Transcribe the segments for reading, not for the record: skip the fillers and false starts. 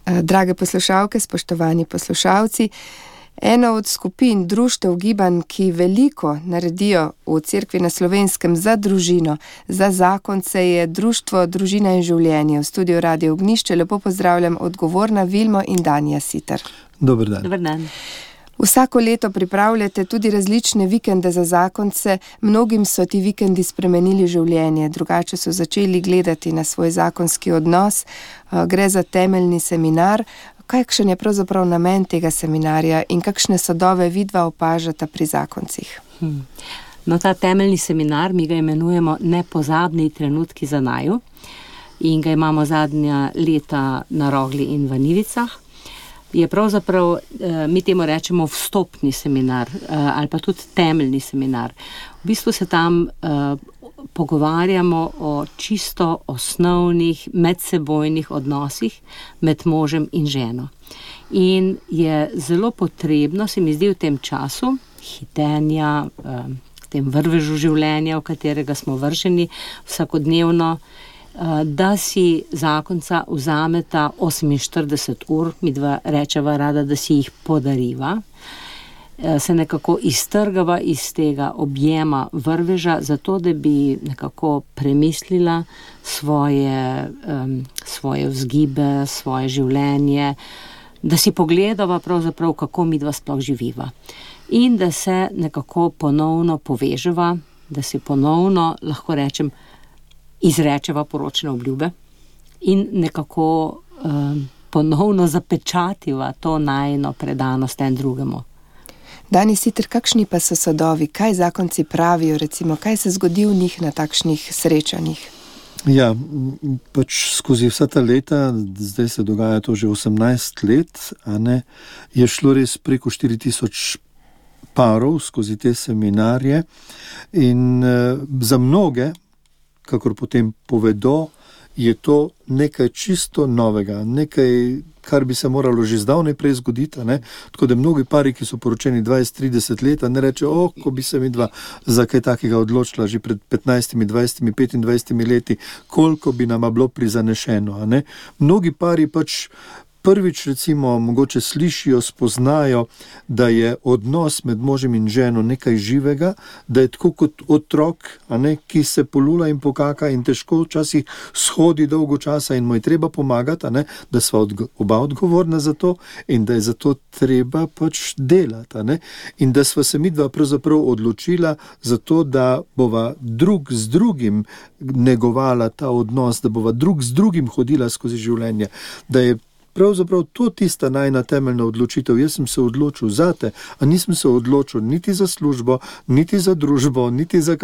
Drage poslušalke, spoštovani poslušalci, ena od skupin društev gibanj, ki veliko naredijo v Cerkvi na Slovenskem za družino, za zakonce, je Društvo Družina in življenje. V studiu Radio Ognjišče lepo pozdravljam odgovorna Vilmo in Danja Siter. Dober dan. Dober dan. Vsako leto pripravljate tudi različne vikende za zakonce. Mnogim so ti vikendi spremenili življenje, drugače so začeli gledati na svoj zakonski odnos. Gre za temeljni seminar. Kakšen je pravzaprav namen tega seminarja in kakšne sadove vidva opažata pri zakoncih? No, ta temeljni seminar, mi ga imenujemo Nepozabni trenutki za naju in ga imamo zadnja leta na Rogli in v Nivicah. Je pravzaprav, mi temu rečemo vstopni seminar ali pa tudi temeljni seminar. V bistvu se tam pogovarjamo o čisto osnovnih medsebojnih odnosih med možem in ženo. In je zelo potrebno, se mi zdi v tem času hitenja, v tem vrvežu življenja, v katerega smo vrženi vsakodnevno, da si zakonca vzameta 48 ur, midva rečeva rada, da si jih podariva, se nekako iztrgava iz tega objema vrveža, zato da bi nekako premislila svoje vzgibe, svoje življenje, da si pogledava pravzaprav, kako midva sploh živiva. In da se nekako ponovno poveževa, da si ponovno, lahko rečem, izrečeva poročne obljube in nekako ponovno zapečativa to najino predanost en drugemu. Dani Siter, kakšni pa so sadovi? Kaj zakonci pravijo, recimo, kaj se zgodi v njih na takšnih srečanjih? Ja, pač skozi vsa ta leta, zdaj se dogaja to že 18 let, je šlo res preko 4000 parov skozi te seminarje in za mnoge, kakor potem povedo, je to nekaj čisto novega, nekaj, kar bi se moralo že zdavnaj prej zgoditi, tako da mnogi pari, ki so poročeni 20-30 let, ne rečejo, ko bi se midva za kaj takega odločila že pred 15, 20, 25 leti, koliko bi nama bilo prizanešeno, Mnogi pari pač prvič, recimo, mogoče slišijo, spoznajo, da je odnos med možem in ženo nekaj živega, da je tako kot otrok, ki se polula in pokaka in težko včasih shodi dolgo časa in mu je treba pomagati, da sva oba odgovorna za to in da je za to treba pač delati, in da sva se midva pravzaprav odločila za to, da bova drug z drugim negovala ta odnos, da bova drug z drugim hodila skozi življenje, da je pravzaprav to tista najna temeljna odločitev. Jaz sem se odločil zate, a nisem se odločil niti za službo, niti za družbo, niti za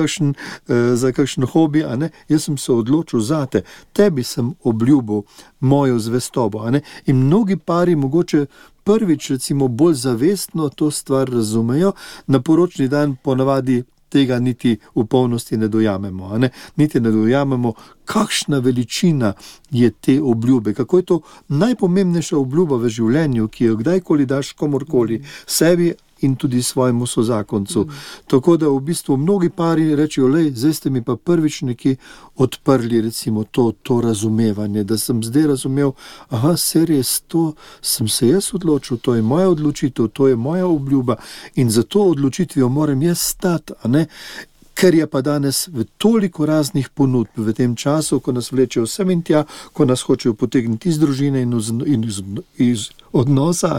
kakšen hobi, Jaz sem se odločil zate. Tebi sem obljubil mojo zvestobo, In mnogi pari mogoče prvič, recimo, bolj zavestno to stvar razumejo, na poročni dan ponavadi tega niti v polnosti ne dojamemo, Niti ne dojamemo, kakšna veličina je te obljube, kako je to najpomembnejša obljuba v življenju, ki jo kdajkoli daš komorkoli, sebi in tudi svojemu sozakoncu. Tako da v bistvu mnogi pari rečejo, zdaj ste mi pa prvič neki odprli, recimo, to razumevanje, da sem zdaj razumel, res, to sem se jaz odločil, to je moja odločitev, to je moja obljuba in za to odločitvijo moram jaz stati, Ker je pa danes v toliko raznih ponudb v tem času, ko nas vlečejo sem in tja, ko nas hočejo potegniti iz družine in iz odnosa,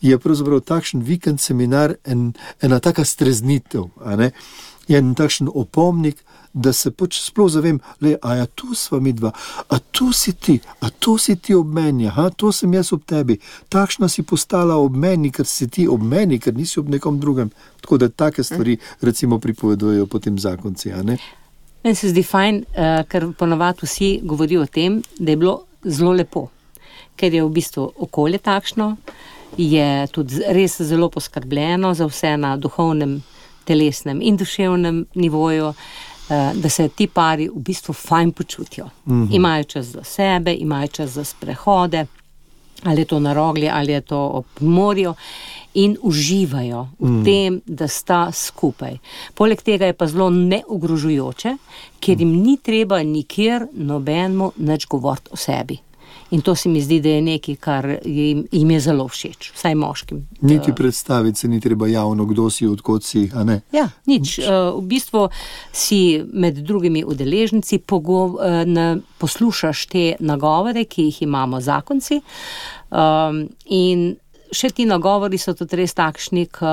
je pravzaprav takšen vikend seminar ena taka streznitev, je en takšen opomnik, da se pač sploh zavem, a tu sva midva, a tu si ti ob meni, to sem jaz ob tebi, takšna si postala ob meni, ker si ti ob meni, ker nisi ob nekom drugem. Tako da take stvari, recimo, pripovedujejo potem zakonci, Meni se zdi fajn, ker ponavadi vsi govorijo o tem, da je bilo zelo lepo, ker je v bistvu okolje takšno, je tudi res zelo poskrbljeno za vse na duhovnem, telesnem in duševnem nivoju, da se ti pari v bistvu fajn počutijo. Imajo čas za sebe, imajo čas za sprehode, ali je to na Rogli, ali je to ob morju, in uživajo v tem, da sta skupaj. Poleg tega je pa zelo neogrožujoče, ker jim ni treba nikjer nobenemu nič govoriti o sebi. In to se mi zdi, da je nekaj, kar jim je zelo všeč, vsaj moškim. Niti predstaviti se ni treba javno, kdo si, odkot si, a ne? Ja, nič. V bistvu si med drugimi udeleženci poslušaš te nagovore, ki jih imamo zakonci, in še ti nagovori so tudi res takšni, ko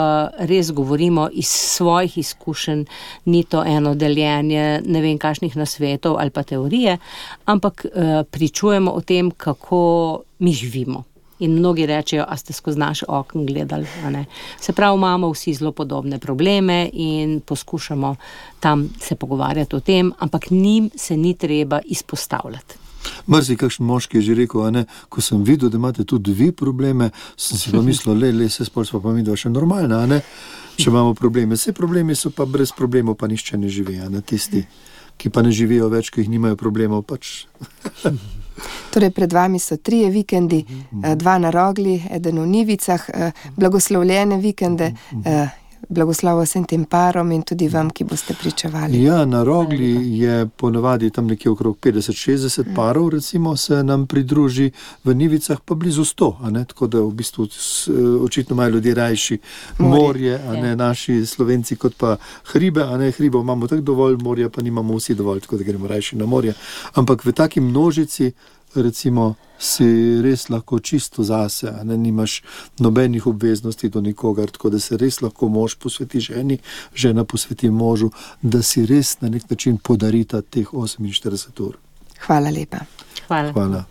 res govorimo iz svojih izkušenj, ni to eno deljenje ne vem kakšnih nasvetov ali pa teorije, ampak pričujemo o tem, kako mi živimo. In mnogi rečejo, a ste skozi naš okno gledali, a ne. Se pravi, imamo vsi zelo podobne probleme in poskušamo tam se pogovarjati o tem, ampak njim se ni treba izpostavljati. Mrzi, kakšen moški je že rekel, a ne, ko sem videl, da imate tudi vi probleme, sem si pa mislil, se spol smo pa midva še normalna, a ne, če imamo probleme. Vse problemi so pa brez problemov, pa nišče ne živi, a ne, tisti, ki pa ne živijo več, ki jih nimajo problemov, pač. Torej, pred vami so 3 vikendi, 2 na Rogli, 1 v Nivicah, blagoslovljene vikende, blagoslovo vsem tem parom in tudi vam, ki boste pričevali. Ja, na Rogli je ponavadi tam nekje okrog 50-60 parov, recimo, se nam pridruži, v Nivicah pa blizu 100, a ne, tako da v bistvu očitno imajo ljudje rajši morje, a ne, naši Slovenci kot pa hribe, a ne, hribov imamo tako dovolj, morja pa nimamo vsi dovolj, tako da gremo rajši na morje. Ampak v taki množici, recimo, si res lahko čisto zase, a ne, nimaš nobenih obveznosti do nikogar, tako da se res lahko mož posveti ženi, žena posveti možu, da si res na nek način podarita teh 48 ur. Hvala lepa. Hvala.